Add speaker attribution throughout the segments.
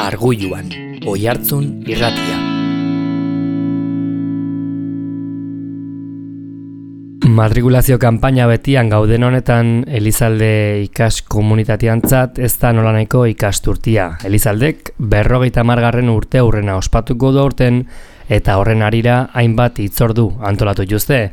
Speaker 1: Arguluan, Oihartzun irratia. Matrikulazio kanpaina betian gauden honetan Elizalde ikas komunitateantzat ez da nolanahiko ikasturtia. Elizaldek 50. urte aurrena ospatuko du aurten eta horren harira hainbat hitzordu antolatu dituzte.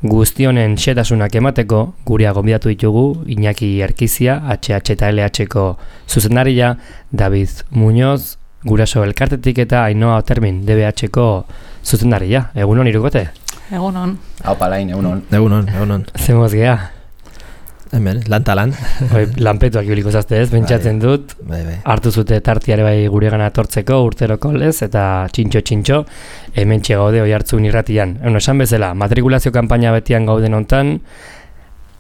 Speaker 1: Guztionen xetasunak emateko gurea gonbidatu ditugu Iñaki Erkizia, HH eta LH-ko zuzendaria, David Muñoz, Guraso Elkartetik eta Ainhoa Otermin, DBH-ko zuzendaria. Egunon irukote?
Speaker 2: Egunon.
Speaker 3: Aupa lain, egunon.
Speaker 4: Egunon.
Speaker 1: Zemoz geha?
Speaker 4: Hemen, lan.
Speaker 1: Lanpetuak ibiliko zazte ez, pentsatzen dut.
Speaker 4: Bai.
Speaker 1: Hartu zute tartiare bai guregana etortzeko urteroko lez eta txintxo, hemen gaude Oihartzun irratian. Esan bezala, matrikulazio kanpaina betian gauden hontan,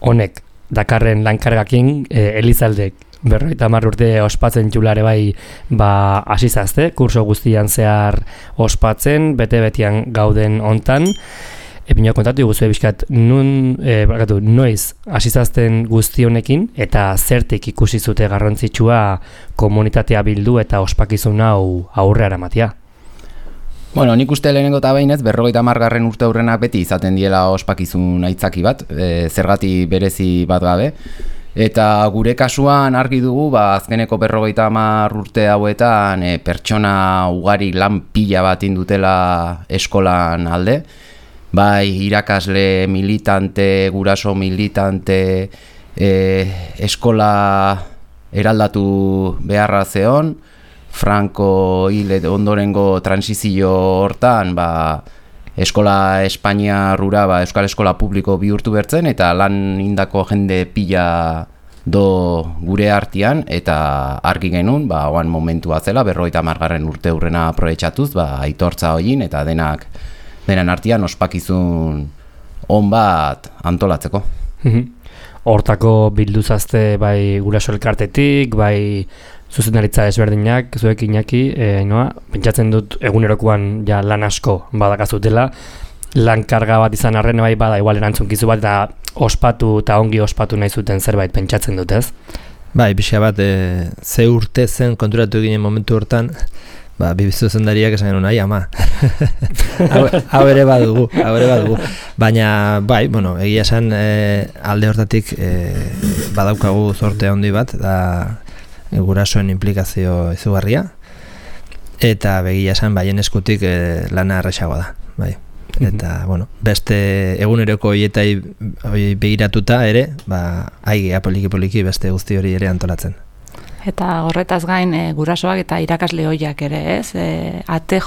Speaker 1: honek dakarren lankargakin Elizaldek 50 urte ospatzen txulare bai asizazte, kurso guztian zehar ospatzen, bete-betian gauden hontan. Epina kontatu guzue bizkat, noiz asizazten guzti honekin eta zertik ikusi zute garrantzitsua komunitatea bildu eta ospakizun hau aurrera eramatea.
Speaker 3: Bueno, nik uste lehenengo eta behinez, 50. urte aurrenak beti izaten diela ospakizun aitzaki bat, zergati berezi bat gabe. Eta gure kasuan argi dugu, azkeneko 50 urte hauetan pertsona ugari lan pila bat indutela eskolan alde. Bai, irakasle militante, guraso militante, eskola eraldatu beharra zeon, Franco hil ondorengo transizio hortan, eskola Espainia rura, euskal eskola publiko bihurtu bertzen, eta lan indako jende pila do gure artean, eta argi genuen, oan momentua zela, 50. urte aurrena aprobetxatuz, aitortza hoin, eta denan artean ospakizun on bat antolatzeko.
Speaker 1: Hortako bilduzazte bai Guraso Elkartetik, bai zuzendaritza ezberdinak, zuek Iñaki, pentsatzen dut egunerokoan ja lan asko badakazutela, lan karga bat izan arren bai bada igual erantzunkizu bat eta ospatu eta ongi ospatu nahi zuten zerbait pentsatzen dut, ez?
Speaker 4: Bai, pixka bat, ze urte zen konturatu ginen momentu hortan, bibizu zendariak esan genuen, ama. hau ere badugu. Baina, egia esan alde hortatik badaukagu zorte handi bat, da gurasoen implikazio izugarria, eta begia esan baien eskutik lana erresagoa da, bai. Eta, beste eguneroko hoietai begiratuta ere, aigea poliki beste guzti hori ere antolatzen.
Speaker 2: Eta horretaz gain gurasoak eta irakasle hoiak ere, ez? Ate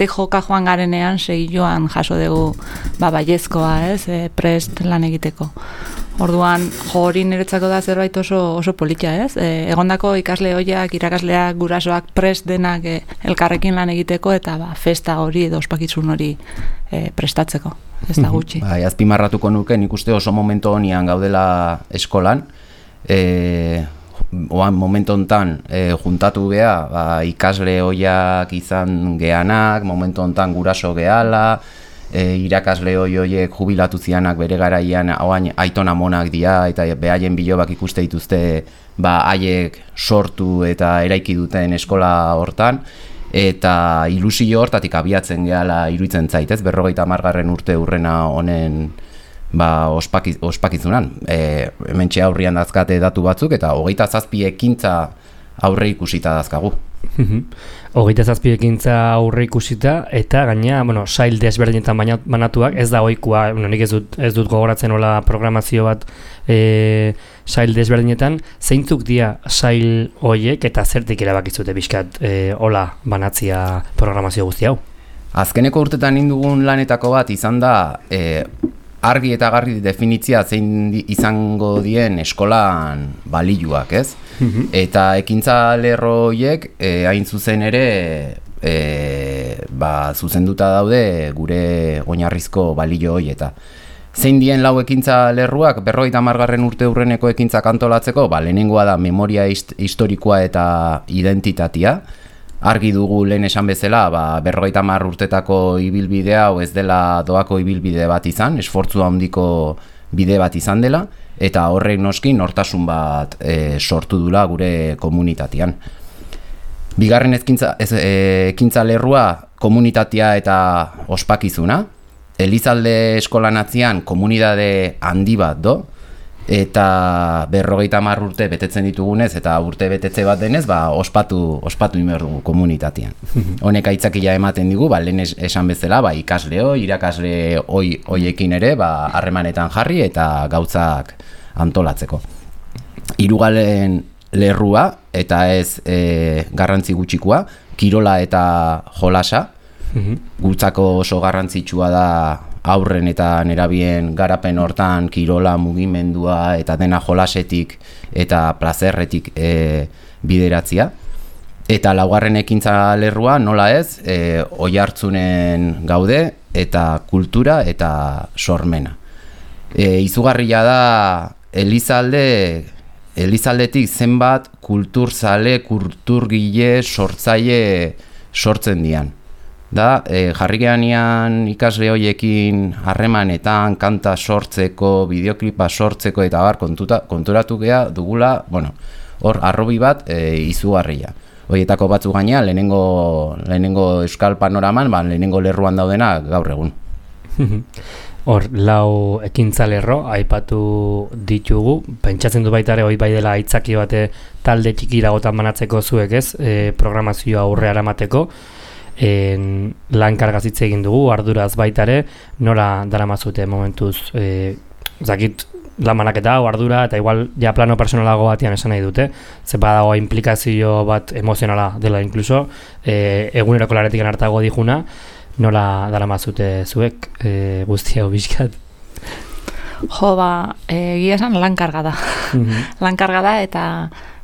Speaker 2: joka joan garenean segilloan jaso dugu baiezkoa, ez? Prest lan egiteko. Orduan, hori niretzako da zerbait oso politia, ez? Egondako ikasle hoiak, irakasleak, gurasoak prest denak elkarrekin lan egiteko eta festa hori edo ospakizun hori prestatzeko, ez da gutxi.
Speaker 3: Azpimarratuko nuke, nik uste oso momentu honian gaudela eskolan, oan momentu hontan juntatu geha, ikasle hoiak izan geanak, momentu hontan guraso gehala, irakasle hoiek jubilatu zianak bere garaian aitona monak dira eta behaien bilobak ikuste dituzte haiek sortu eta eraiki duten eskola hortan, eta ilusio hortatik abiatzen gehala iruditzen zaitez, 50. urte aurrena honen ospakizunan. Hementxe aurrian dazkate datu batzuk eta 27 ekintza aurre ikusita dazkagu.
Speaker 1: 27 ekintza aurre ikusita eta gaina, sail desberdinetan banatuak, ez da ohikoa, nik ez dut gogoratzen hola programazio bat sail desberdinetan, zeintzuk dira sail hoiek eta zertik erabakizute bizkat hola banatzia programazio guzti hau?
Speaker 3: Azkeneko urtetan indugun lanetako bat izan da argi eta garri definitzia zein izango dien eskolan balioak, ez? Eta ekintza lerro horiek hain zuzen ere zuzenduta daude gure oinarrizko balio hori eta zein dien lau ekintza lerruak 50. urte aurreneko ekintzak antolatzeko, lehenengoa da memoria historikoa eta identitatea. Argi dugu lehen esan bezala, 50 urtetako ibilbidea hau ez dela doako ibilbide bat izan, esfortzu handiko bide bat izan dela, eta horrek noski nortasun bat sortu dula gure komunitatean. Bigarren ekintza lerrua komunitatea eta ospakizuna. Elizalde eskolan atzian komunitate handi bat do, eta 50 urte betetzen ditugunez, eta urte betetze bat denez, ospatu inber dugu komunitatean. Honek aitzakia ematen digu, lehen esan bezala, ikasleo, irakasle hoiekin ere, harremanetan jarri eta gauzak antolatzeko. Hirugarren lerrua, eta ez garrantzi gutxikoa, kirola eta jolasa. Gutzako oso garrantzitsua da aurren eta nerabien garapen hortan kirola, mugimendua eta dena jolasetik eta plazerretik bideratzia. Eta laugarren ekintza lerrua nola ez, Oiartzunen gaude eta kultura eta sormena. Izugarria da Elizaldetik zenbat kulturzale, kulturgile, sortzaile sortzen dian. Jarri geanean ikasle horiekin harremanetan, kanta sortzeko, bideoklipa sortzeko eta konturatu gea dugula, hor arrobi bat izugarria. Horietako batzu gaina, lehenengo euskal panoraman, lehenengo lerruan daudena gaur egun.
Speaker 1: Hor, lau ekintza lerro, aipatu ditugu, pentsatzen du baita ere, hoi bai dela aitzaki bate talde txikiragotan banatzeko zuek ez, programazioa aurrera eramateko, lan kargazitze egin dugu, arduraz baita ere, nola daramazute momentuz, zakit lan banaketa, ardura, eta igual ja plano personalago batian esan nahi dute, ze badago implikazio bat emozionala dela inkluso, eguneroko laretik hartago dijuna, nola daramazute zuek guzti hau bizkat?
Speaker 2: Jo, egia esan lan karga da. Lan karga da eta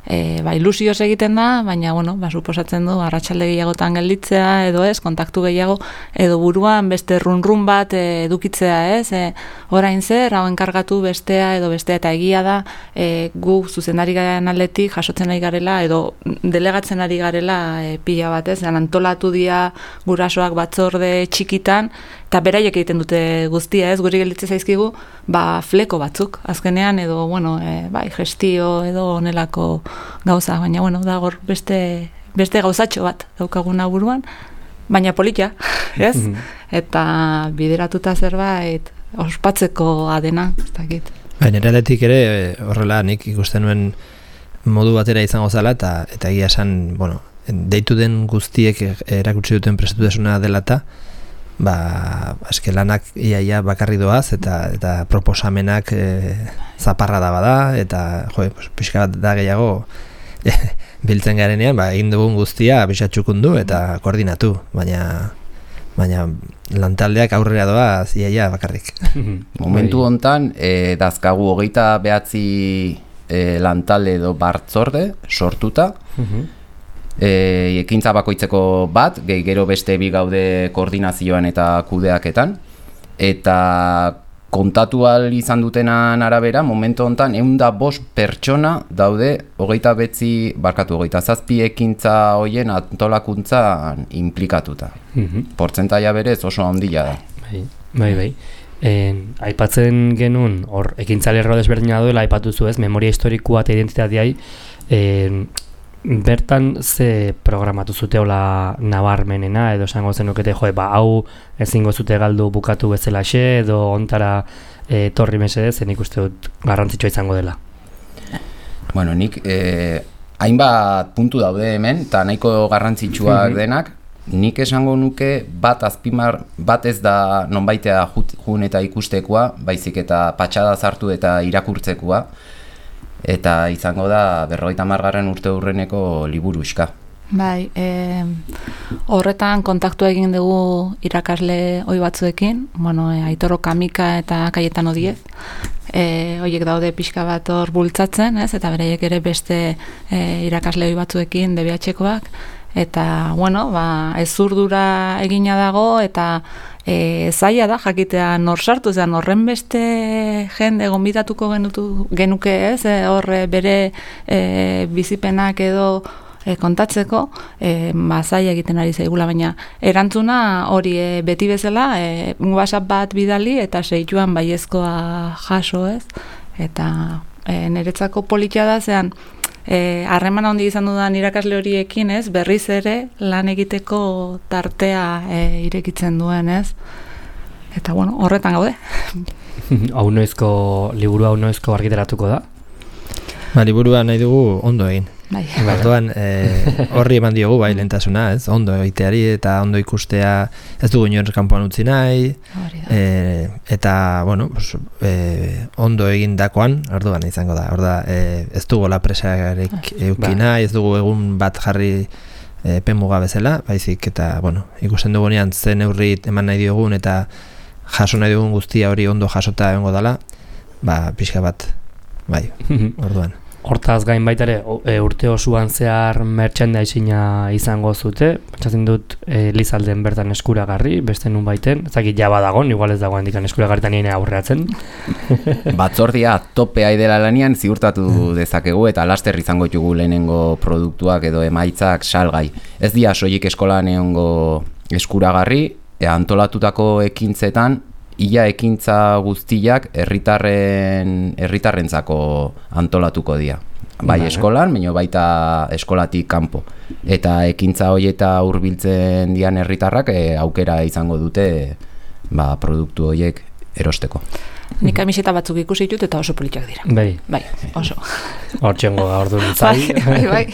Speaker 2: ilusioz egiten da, baina, suposatzen du, arratsalde gehiagotan gelditzea, edo ez, kontaktu gehiago, edo buruan beste run bat edukitzea, ez, orain zer, hau enkargatu bestea, edo bestea, eta egia da, gu zuzendari garen aldetik jasotzen ari garela, edo delegatzen ari garela pila bat, ez, antolatu dira gurasoak batzorde txikitan, eta beraiek egiten dute guztia, ez, guri gelditzen zaizkigu, fleko batzuk, azkenean, edo, gestio, edo onelako gauza, baina, da hor beste gauzatxo bat daukaguna buruan, baina politia, ez? Eta bideratuta zerbait ospatzeko adena, ez dakit.
Speaker 4: Baina eraletik ere, horrela nik ikusten nuen modu batera izango zala, eta egia esan, deitu den guztiek erakutsi duten prestutesuna dela eta, eske lanak iaia bakarri doaz eta proposamenak zaparra da bada eta pixka bat da gehiago biltzen garenean egin dugun guztia bisatxukundu eta koordinatu, baina lantaldeak aurrera doaz iaia bakarrik.
Speaker 3: Momentu hontan dazkagu 29 lantalde edo batzorde sortuta, ekintza bakoitzeko bat, gero beste bi gaude koordinazioan eta kudeaketan, eta kontatu ahal izan dutenan arabera, momentu honetan 105 pertsona daude 27 ekintza hoien antolakuntzan implikatuta. Portzentaia berez oso handia da.
Speaker 1: Bai. Aipatzen genuen, hor, ekintza lerro desberdina duela, aipatuzu ez, memoria historikoa eta identitateai, bertan ze programatu zute hola nabarmenena, edo esango zenukete, hau ezingo zute galdu bukatu bezalaxe, edo ontara torri mesedez, nik uste dut garrantzitsua izango dela.
Speaker 3: Nik hainbat puntu daude hemen, eta nahiko garrantzitsuak denak, nik esango nuke bat ez da nonbaitea jun eta ikustekoa, baizik eta patxada zartu eta irakurtzekoa, eta izango da 50. urte hurreneko liburuxka.
Speaker 2: Bai, horretan kontaktu egin dugu irakasle ohi batzuekin, Aitor Kamika eta Kaietan Odiez, horiek daude pixka bat hor bultzatzen, ez? Eta beraiek ere beste irakasle ohi batzuekin DBH-koak, eta, ezurdura egina dago, eta zaila da jakitea nor sartu, horren beste jende gonbidatuko genuke, ez? Hor bere bizipenak edo kontatzeko, zaila egiten ari zaigula, baina erantzuna hori beti bezala, WhatsApp bat bidali eta seituan baiezkoa jaso, ez? Eta niretzako politia da, harreman handi izan dudan irakasle horiekin, ez, berriz ere lan egiteko tartea irekitzen duen, ez? Eta, bueno, horretan gaude.
Speaker 1: Liburua hau noizko argitaratuko da?
Speaker 4: Liburua nahi dugu ondo egin.
Speaker 2: Bai.
Speaker 4: Orduan, horri eman diogu bai lehentasuna, ez? Ondo egiteari eta ondo ikustea, ez dugu inor kanpoan utzi nahi, eta, bueno, ondo egindakoan, orduan izango da. Ez dugu la presarik euki nahi, ez dugu egun bat jarri pemuga bezala, baizik, eta, bueno, ikusten dugunean zen neurri eman nahi diogun, eta jaso nahi dugun guztia hori ondo jasota egongo dela, pixka bat, bai, orduan.
Speaker 1: Hortaz gain baita ere, urte osoan zehar merchandising-a izango zute, pentsatzen dut Elizalden bertan eskuragarri, beste nun baiten, ezakit jaba dagoen, igual ez dagoen dikan eskuragarritan nire aurreatzen.
Speaker 3: Batzordia topea idela lanian ziurtatu dezakegu eta laster izango ditugu lehenengo produktuak edo emaitzak salgai. Ez dira soilik eskolan egongo eskuragarri, antolatutako ekintzetan, ia ekintza guztiak herritarrentzako antolatuko dira. Bai eskolan, baita eskolatik kanpo. Eta ekintza horieta hurbiltzen dian herritarrak aukera izango dute produktu horiek erosteko.
Speaker 2: Nik kamiseta batzuk ikusi ditut eta oso politak dira. Bai, oso.
Speaker 1: Hortxengo gaur du nintzai.
Speaker 2: Bai.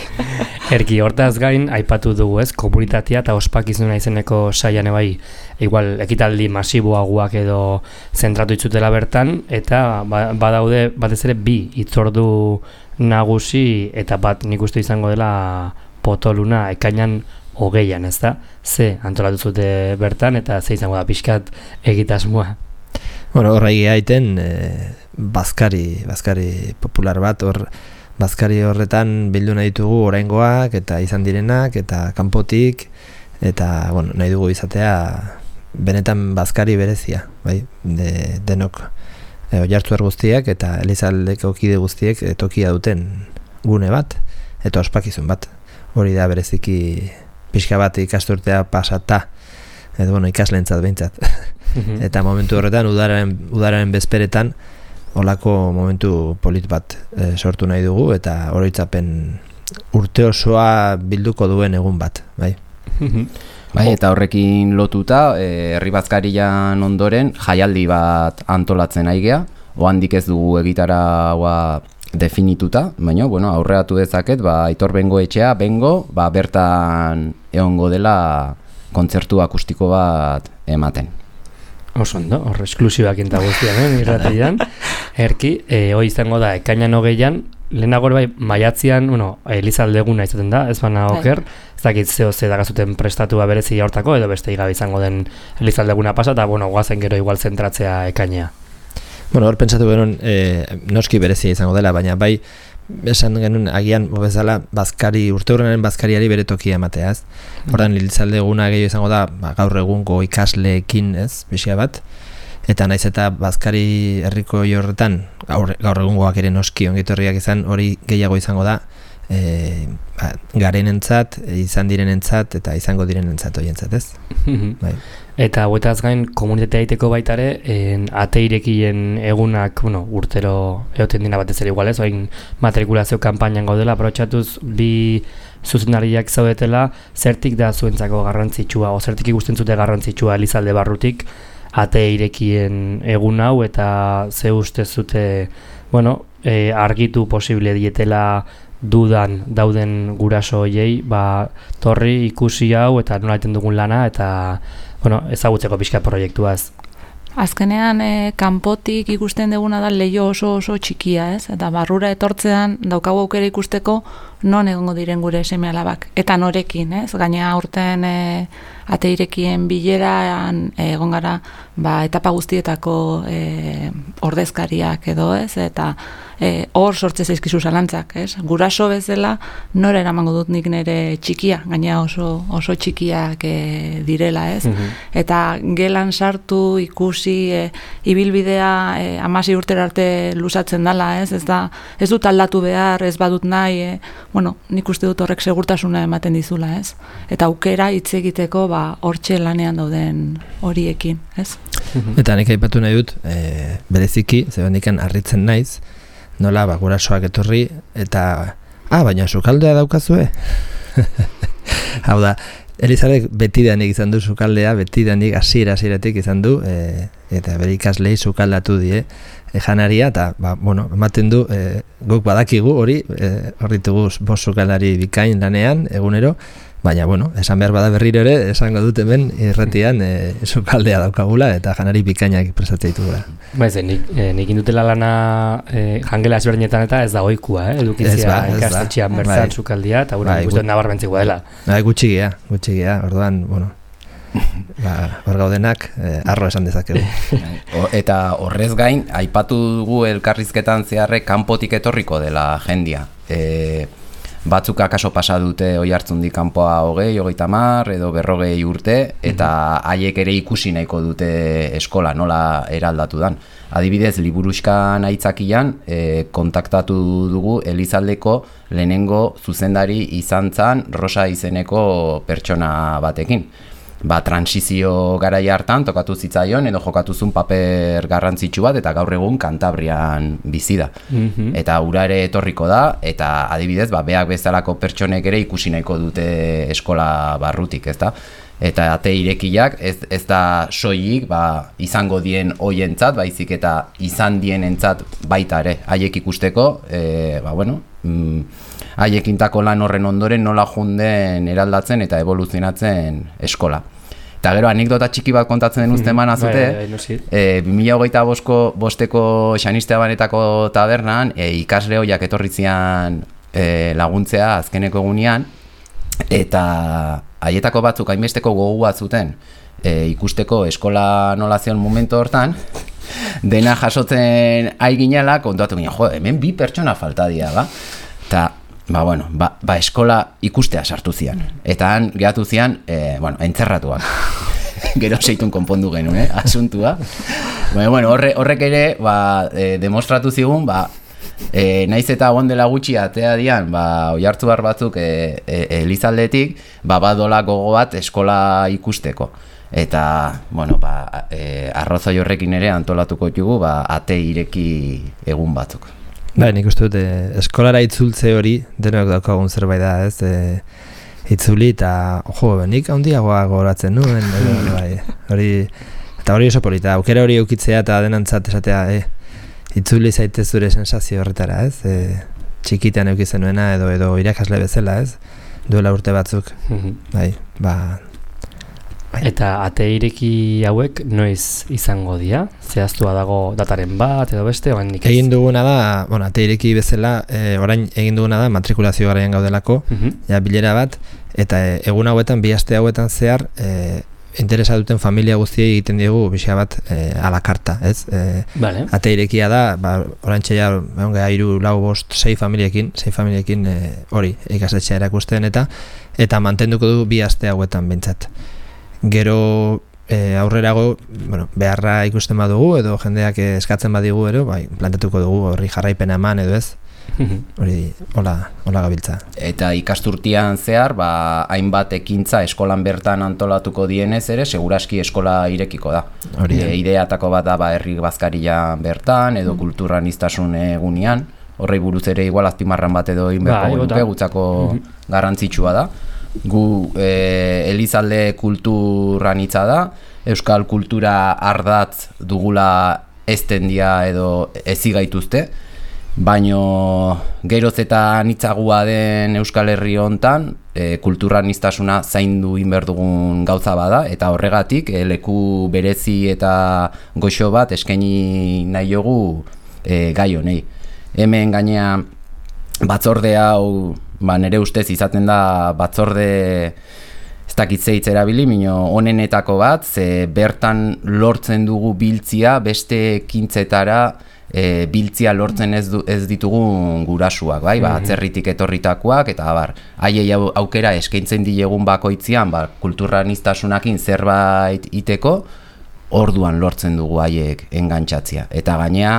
Speaker 1: Erki, hortaz gain, aipatu dugu ez, komunitatea eta ospakizuna izeneko saian bai, igual, ekitaldi masiboagoak edo zentratu itzutela bertan, eta badaude batez ere bi hitzordu nagusi eta bat nik uste izango dela potoluna ekainan 20an, ez da? Ze antolatu zute bertan eta ze izango da pixkat egitasmoa.
Speaker 4: Bueno, horra egiten bazkari popular bat, bazkari horretan bildu nahi ditugu oraingoak eta izan direnak eta kanpotik, eta bueno, nahi dugu izatea benetan bazkari berezia, bai? Denok Oiartzuar guztiak eta Elizaldeko kide guztiek tokia duten gune bat eta ospakizun bat. Hori da bereziki pixka bat ikasturtea pasata, edo bueno, ikasleentzat behintzat. Eta momentu horretan, udaren bezperetan, holako momentu polit bat sortu nahi dugu, eta oroitzapen urte osoa bilduko duen egun bat, bai.
Speaker 3: Bai, eta horrekin lotuta, herri bazkarian ondoren, jaialdi bat antolatzen aigea, ohandik ez dugu egitaragoa definituta, baina, bueno, aurreatu dezaket, Aitor Bengoetxea, bertan egongo dela kontzertu akustiko bat ematen.
Speaker 1: Oso ondo, hor esklusibak eta guztian, irratian. Erki, hoi izango da, ekainan 20an, lehenago bai, maiatzian, Elizaldeguna izaten da, ez bana oker, ez dakit zeo ze dagazuten prestatua berezi hortako, edo beste igabe izango den Elizaldeguna pasa, eta, guazen gero igual zentratzea ekainea.
Speaker 4: Bueno, hor pentsatu genuen, noski berezia izango dela, baina bai, esan genuen agian bezala urte horrenaren bazkariari bere tokia ematea, ez? Horren Elizaldeguna gehiago izango da, gaur egungo ikasleekin, ez, bizia bat, eta naiz eta bazkari herriko horretan, gaur egungoak ere noski ongitorriak izan, hori gehiago izango da, garenentzat, izan direnentzat eta izango direnentzat horientzat, ez? Bai.
Speaker 1: Eta hauetaz gain komunitatea egiteko baitare, ate irekien egunak, urtero egoten dina batez ere igual, ez? Oain matrikulazio kanpainan gaudela, aprotxatuz bi zuzendariak zaudetela, zertik da zuentzako garrantzitsua, o zertik ikusten zute garrantzitsua Elizalde barrutik, ate irekien egun hau, eta ze uste zute, argitu posible dietela dudan dauden guraso hoiei, torri ikusi hau eta nola egiten dugun lana eta ezagutzeko pixka proiektuaz.
Speaker 2: Azkenean, kanpotik ikusten duguna da leio oso txikia, ez? Eta barrura etortzean daukagu aukera ikusteko non egongo diren gure seme-alabak. Eta norekin, ez? Gainera aurten ate irekien bileran egon gara etapa guztietako ordezkariak edo, ez? Eta hor sortze zaizkizu zalantzak, ez? Guraso bezala nora eramango dut nik nire txikia, gainera oso txikiak direla, ez? Eta gelan sartu ikusi ibilbidea 16 urtera arte luzatzen dela, ez? Ez dut aldatu behar, ez badut nahi, nik uste dut horrek segurtasuna ematen dizula, ez? Eta aukera hitz egiteko hortxe lanean dauden horiekin, ez?
Speaker 4: Eta nik aipatu nahi dut, bereziki, zebendikan harritzen naiz, nola gurasoak etorri eta Baina sukaldea daukazue? Hau da, Elizalek betidanik izan du sukaldea, betidanik hasieratik izan du, eta bere ikaslei sukaldatu die janaria, eta ematen du, guk badakigu hori, horritugu bost sukaldari bikain lanean, egunero, baina, esan behar bada berriro ere, esango dut hemen irratian sukaldea daukagula, eta janari bikainak prestatzea ditugula.
Speaker 1: Nik indutela lana jangela ezberdinetan eta ez da oikua, edukitzea ikastetxean bertan sukaldia, eta ikusten nabarmentzikoa dela.
Speaker 4: Gutxigia, orduan, hor gaudenak arro esan dezakegu.
Speaker 3: Eta horrez gain, aipatu dugu elkarrizketan zeharrek kanpotik etorriko dela jendia. Batzuk akaso pasa dute Oiartzundik kanpoa 20-30 edo 40 urte, eta haiek ere ikusi nahiko dute eskola nola eraldatu dan. Adibidez, liburuxkan aitzakian kontaktatu dugu Elizaldeko lehenengo zuzendari izan zan Rosa izeneko pertsona batekin. Transizio garaia hartan tokatu zitzaion edo jokatuzun paper garrantzitsu bat, eta gaur egun Kantabrian bizi da. Eta ura ere etorriko da, eta adibidez, beak bezalako pertsonek ere ikusi nahiko dute eskola barrutik, ezta? Eta ate irekiak ez da soilik izango dien hoientzat, baizik eta izan dienentzat baita ere, haiek ikusteko, haiekintako lan horren ondoren nola junden eraldatzen eta evoluzionatzen eskola. Eta gero, anekdota txiki bat kontatzen den uzten manazute, 2025ko Xanistea Banetako tabernan, ikasle hoiak etorri zian laguntzea azkeneko egunean, eta haietako batzuk hainbesteko gogoa zuten ikusteko eskola nola zion momentu hortan, dena jasotzen aiginala, kontatu ginen, hemen 2 pertsona falta dira, eta eskola ikustea sartu zian. Eta han gehatu zian, entzerratuak. Gero seitun konpondu genuen, asuntua. Horrek ere, demostratu zigun, naiz eta gondela gutxi atea dian, Oiartzuar batzuk Elizaldetik, badola gogo bat eskola ikusteko. Eta, arrozoi horrekin ere antolatuko dugu, ate ireki egun batzuk.
Speaker 4: Nik uste dut, eskolara itzultze hori, denok daukagun zerbait da, ez? Itzuli eta, nik handiagoa gogoratzen nuen, eta hori oso polita, aukera hori eukitzea eta denantzat esatea, itzuli zaitez zure sensazio horretara, ez? Txikitan eukitzen nuena edo irakasle bezala, ez? Duela urte batzuk,
Speaker 1: Eta ate ireki hauek noiz izango dira? Zehaztua dago dataren bat edo beste?
Speaker 4: Egin duguna da, ate ireki bezala, orain egin duguna da matrikulazio garaian gaudelako, bilera bat, eta egun hauetan, 2 aste hauetan zehar, interesa duten familia guztiei egiten diegu bizia bat a la carta, ez? Ate irekia da, orain txea, 3, 4, 5, 6 familiekin hori ikastetxea erakusten, eta mantenduko du 2 aste hauetan bintzat. Gero aurrerago, beharra ikusten badugu edo jendeak eskatzen badigu ero, plantatuko dugu horri jarraipena eman edo ez. Hori hola gabiltza.
Speaker 3: Eta ikasturtean zehar, hainbat ekintza eskolan bertan antolatuko dienez ere, seguraski eskola irekiko da. Ideatako bat da herri bazkaria bertan edo kulturaniztasun egunean, horrei buruz ere igual azpimarran bat edo inberko duke, gutzako garrantzitsua da. Gu Elizalde kulturanitza da, euskal kultura ardatz dugula eztendia edo ezigaituzte, baino geroz eta anitzagua den Euskal Herri hontan kulturaniztasuna zaindu inberdugun gauza bada, eta horregatik leku berezi eta goxo bat eskaini nahi jogu gai honei. Hemen gainea batzorde hau, nire ustez izaten da batzorde ez dakitze hitz erabili, onenetako bat, ze bertan lortzen dugu biltzia, beste ekintzetara biltzia lortzen ez ditugun gurasuak, atzerritik etorritakoak, eta haiei aukera eskaintzen dilegun bakoitzian, kulturaniztasunakin zerbait iteko, orduan lortzen dugu haiek engantzatzia. Eta gainea,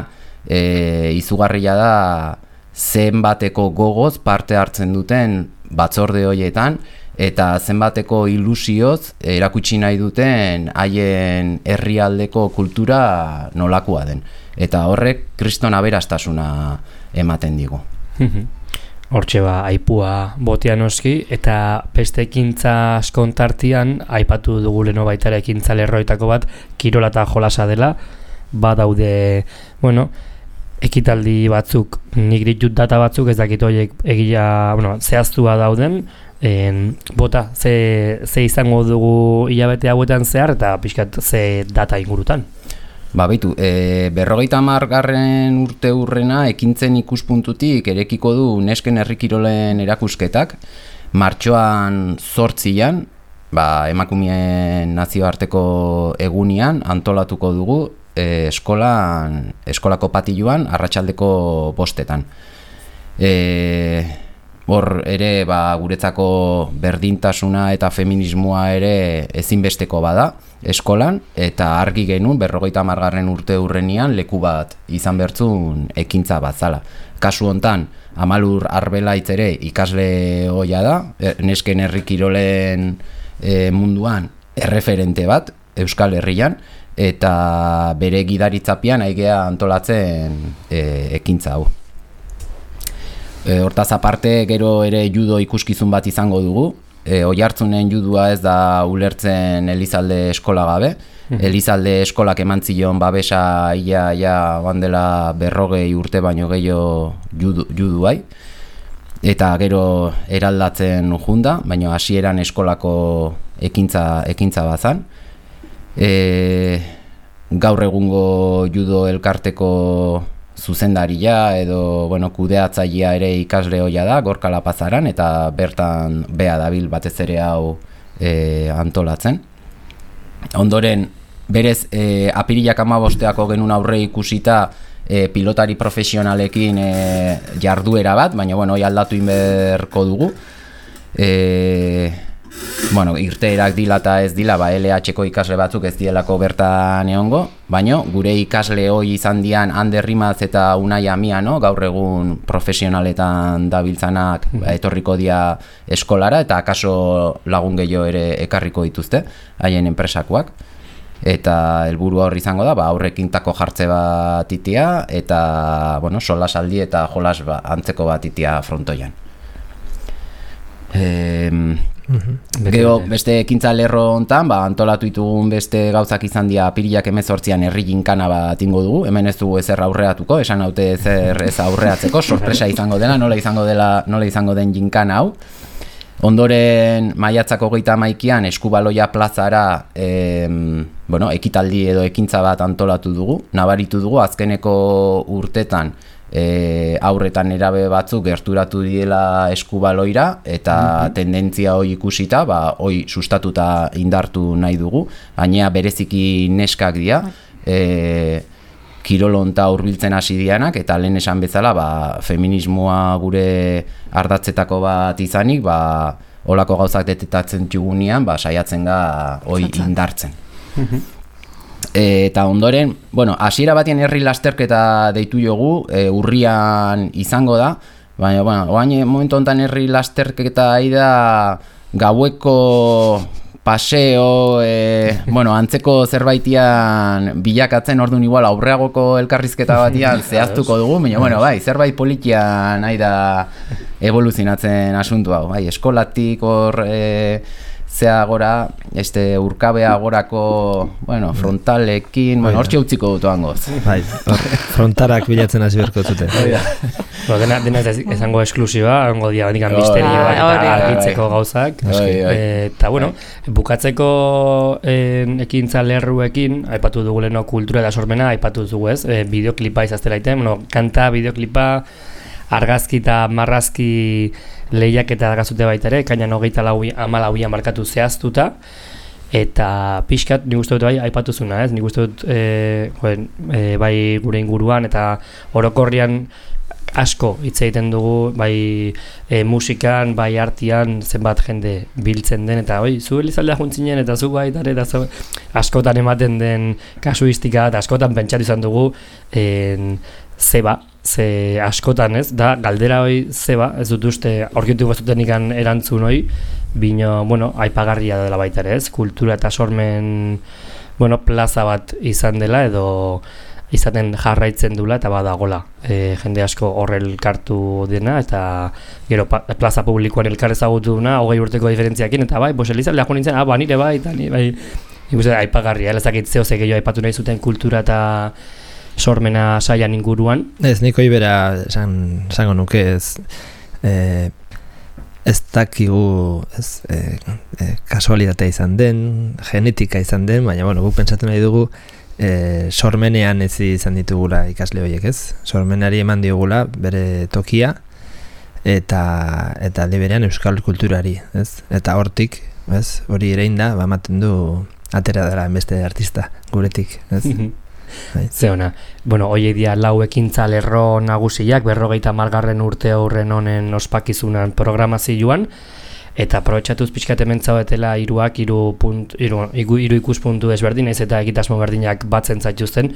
Speaker 3: izugarria da, zenbateko gogoz parte hartzen duten batzorde horietan, eta zenbateko ilusioz erakutsi nahi duten haien herrialdeko kultura nolakoa den. Eta horrek kriston aberastasuna ematen digu.
Speaker 1: hortxe aipua botea noski, eta beste ekintza askontartian, aipatu dugu leno baita ere ekintza lerroetako bat, kirola eta jolasa dela, badaude, ekitaldi batzuk, nik ditut data batzuk, ez dakit horiek egia, zehaztua dauden, bota, ze izango dugu hilabete hauetan zehar, eta pixkat ze data ingurutan.
Speaker 3: Baitu, 50. urte hurrena ekintzen ikuspuntutik erekiko du nesken herrikirolen erakusketak, martxoan 8an, emakumeen nazioarteko egunian antolatuko dugu eskolako patiluan arratsaldeko 5etan. Hor ere guretzako berdintasuna eta feminismoa ere ezinbesteko bada eskolan, eta argi genuen 50. urte hurrenian leku bat izan bertzun ekintza bat zala. Kasu hontan, Amalur Arbelaitz ere ikasle ohia da, nesken herrikirolen munduan erreferente bat Euskal Herrian, eta bere gidaritzapean aigea antolatzen ekintza hau. Hortaz aparte, gero ere judo ikuskizun bat izango dugu. Oiartzunen judua ez da ulertzen Elizalde eskola gabe. Elizalde eskolak emantzion babesa ia bandela 40 urte baino gehiago juduai. Eta gero eraldatzen junda, baina hasieran eskolako ekintza bazan. Gaur egungo judo elkarteko zuzendaria edo kudeatzailea ere ikasle ohia da Gorka Lapazaran, eta bertan bea dabil batez ere hau antolatzen. Ondoren berez apirilak 15ako genuen aurre ikusita pilotari profesionalekin jarduera bat, baina hori aldatu inberko dugu. Irteerak dila eta ez dila, LH-ko ikasle batzuk ez dielako bertan egongo, baina gure ikasle hoi izan dian Ander Rimaz eta Unai Amiano, gaur egun profesionaletan dabiltzanak etorriko dia eskolara, eta akaso lagun gehiago ere ekarriko dituzte, haien enpresakoak. Eta helburua hor izango da, aurrekintako jartze bat itia, eta solasaldi eta jolas antzeko bat itia frontoian. Gero beste ekintza lerro hontan, antolatu ditugun beste gauzak izan dira apirilak 18an herri ginkana bat ingo dugu. Hemen ez dugu ezer aurreatuko, esan haute ezer ez aurreatzeko, sorpresa izango dela, nola izango den ginkana hau. Ondoren maiatzak 31an Eskubaloia plazara ekitaldi edo ekintza bat antolatu dugu. Nabaritu dugu azkeneko urtetan aurretan erabe batzuk gerturatu diela Eskubaloira, eta tendentzia hoi ikusita, hoi sustatuta indartu nahi dugu, baina bereziki neskak dira, kirolonta hurbiltzen hasi dianak, eta lehen esan bezala feminismoa gure ardatzetako bat izanik, holako gauzak detetatzen txugunean, saiatzen ga hoi indartzen. Eta ondoren, hasiera batien herri lasterketa deitu jogu, urrian izango da, baina, oain momentu honetan herri lasterketa da gaueko paseo, antzeko zerbaitian bilakatzen, orduan igual aurreagoko elkarrizketa batian zehaztuko dugu, baina, zerbait politian nahi da evoluzionatzen asuntu hau, eskolatik hor zea gora, urkabea gorako, frontalekin, hortxe utziko dut hangoz.
Speaker 4: Frontarak bilatzen hasi berko zuten.
Speaker 1: Dena ezango esklusiba, hango dia bandikan misterioa eta argitzeko gauzak. Eta, bukatzeko ekintza lerruekin, aipatu dugu leheno kultura eta sormena, aipatu dugu ez, bideoklipa izaztela iten, kanta, bideoklipa, argazki eta marrazki lehiak eta argazute baita ere, kainan 24 markatu zehaztuta, eta pixkat nik uste dut aipatu zuna, nik uste dut bai gure inguruan eta orokorrian asko hitz egiten dugu, bai musikan, bai artian, zenbat jende biltzen den, eta zu Elizaldea juntzinen, eta zu baita ere, eta askotan ematen den kasuistika, eta askotan pentsatu izan dugu ze askotan ez, da galdera hoi zeba, ez dut uste aurkitu bazuten ikan erantzun hoi, bino, aipagarria dela baita ere ez, kultura eta sormen, plaza bat izan dela, edo izaten jarraitzen dula eta badagola jende asko horrel elkartu dena eta gero plaza publikoan elkar ezagutu duna 20 urteko diferentziakin eta bai, Elizaldea jo nintzen, nire bai, eta ni bai ikusten aipagarria, ez dakit zeo ze gehiago aipatu nahi zuten kultura eta sormena saian inguruan.
Speaker 4: Ez, niko ibera esango nuke ez dakigu kasualitatea izan den, genetika izan den, baina guk pentsatzen nahi dugu sormenean ez izan ditugula ikasle horiek, ez? Sormenari eman diogula bere tokia eta liberean euskal kulturari, ez? Eta hortik, ez? Hori erein da, ematen du atera dela beste artista guretik, ez?
Speaker 1: Zeona, hoiek dia 4 ekintza lerro nagusiak 50. urte aurren honen ospakizunan programazioan eta aprobetxatuz pixkat hemen zaudetela hiru ikuspuntu ezberdin, ez eta egitasmo berdinak batzen zaituzten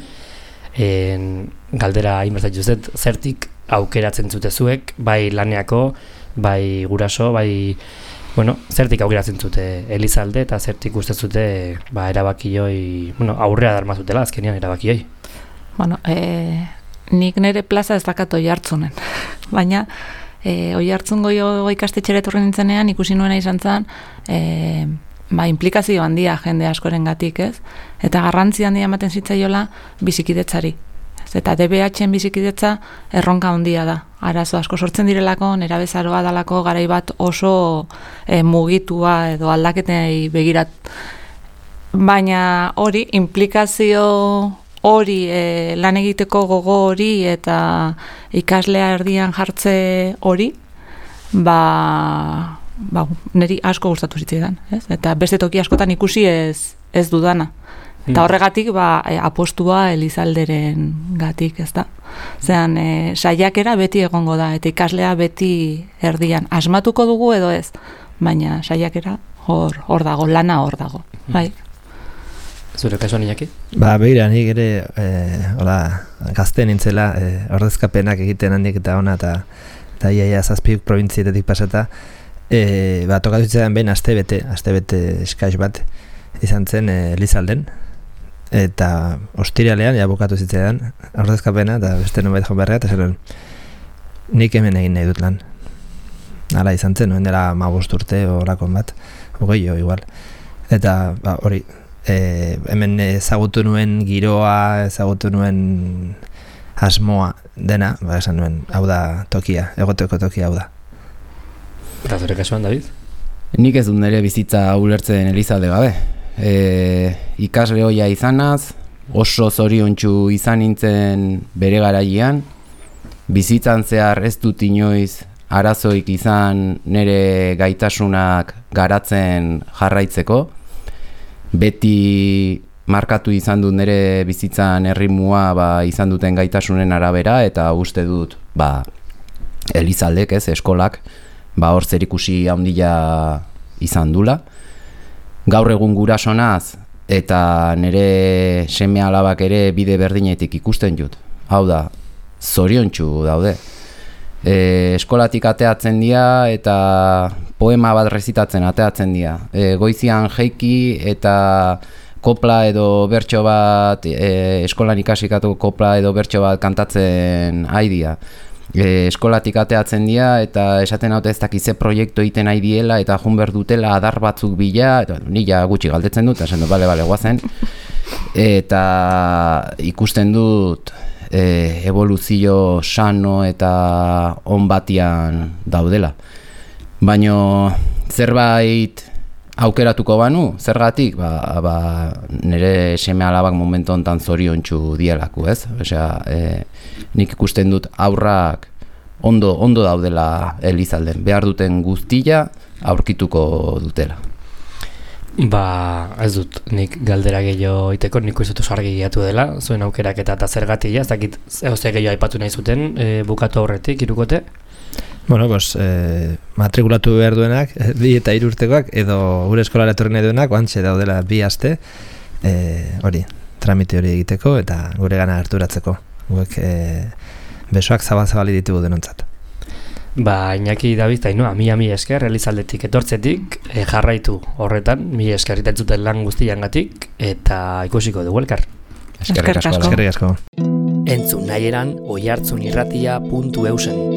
Speaker 1: galdera hainbertzatuzet, zertik aukeratzen zutezuek, bai laneako, bai guraso, bai zertik aukeratzen zute Elizalde eta zertik uste zute erabakioi, aurrea darmazutela azkenean erabakioi.
Speaker 2: Nik nire plaza ez dakat Oiartzunen, baina Oiartzungo ikastetxera etorri nintzenean ikusi nuena izan zen implikazio handia jende askorengatik, ez? Eta garrantzi handia ematen zitzaiola bizikidetzari. Eta DBH-en bizikidetza erronka handia da. Arazo asko sortzen direlako, nerabezaroa dalako garai bat oso mugitua edo aldaketei begirat. Baina hori, implikazio hori, lan egiteko gogo hori eta ikaslea erdian jartze hori, niri asko gustatu zitzaidan, ez? Eta beste toki askotan ikusi ez dudana. Eta horregatik apostua Elizalderen gatik, ez da? Zeran, saiakera beti egongo da, eta ikaslea beti erdian. Asmatuko dugu edo ez, baina saiakera hor dago, lana hor dago. Bai.
Speaker 1: Zure kasuan Iñaki?
Speaker 4: Begira, nik ere gazte nintzela ordezkapenak egiten handik eta ona eta iaia 7 probintzietatik pasata tokatu zitzaidan behin astebete eskais bat izan zen Elizalden eta ostiralean bukatu zitzaidan ordezkapena eta beste nubait joan beharra eta zer nik hemen egin nahi dut lan. Hala izan zen, noen dela 15 urte horakon bat, 20 igual. Eta hori, hemen ezagutu nuen giroa, ezagutu nuen asmoa dena, esan nuen, hau da tokia, egoteko tokia hau da.
Speaker 1: Eta zure kasuan, David?
Speaker 3: Nik ez dut nire bizitza ulertzen Elizalde gabe. Ikasle hoia izanaz, oso zoriontsu izan nintzen bere garaian, bizitzan zehar ez dut inoiz arazoik izan nire gaitasunak garatzen jarraitzeko, beti markatu izan dut nire bizitzan erritmoa izan duten gaitasunen arabera eta uste dut Elizaldek, eskolak, hor zerikusi handia izan dula. Gaur egun gurasonaz eta nire seme alabak ere bide berdinetik ikusten dut. Hau da, zoriontsu daude. Eskolatik ateatzen dira eta poema bat rezitatzen ateatzen dira. Goizian jeiki eta kopla edo bertso bat, eskolan ikasikatu kopla edo bertso bat kantatzen haidia. Eskolatik ateatzen dira eta esaten haute ez dakize proiektu egiten nahi diela eta jun behar dutela adar batzuk bila, eta nila gutxi galdetzen dut, esan dut, bale, guazen. Eta ikusten dut evoluzio sano eta on batian daudela. Baina zerbait aukeratuko banu, zergatik, nire seme alabak momentu honetan zoriontsu dielako, ez? Osea, nik ikusten dut aurrak ondo daudela Elizalden, behar duten guztia aurkituko dutela.
Speaker 1: Ez dut nik galdera gehiago iteko, nik uste dut argi gehiatu dela, zuen aukerak eta zergatia, ez dakit egoze gehiago aipatu nahi zuten, bukatu aurretik, irukote?
Speaker 4: Matrikulatu behar duenak, 2 eta 3 urtekoak, edo gure eskolara etorri nahi duenak, oantxe daudela 2 aste, hori, tramite hori egiteko eta gure gana harturatzeko. Guek besoak zabal-zabali ditugu denontzat.
Speaker 1: Iñaki, David, eta inoa, mi esker, Elizaldetik etortzetik, jarraitu horretan, mi esker itentzuten lan guztiangatik, eta ikusiko dugu elkar.
Speaker 2: Eskerrik asko.
Speaker 4: Eskerrik asko.
Speaker 5: Entzun nahieran oihartzunirratia.eusen.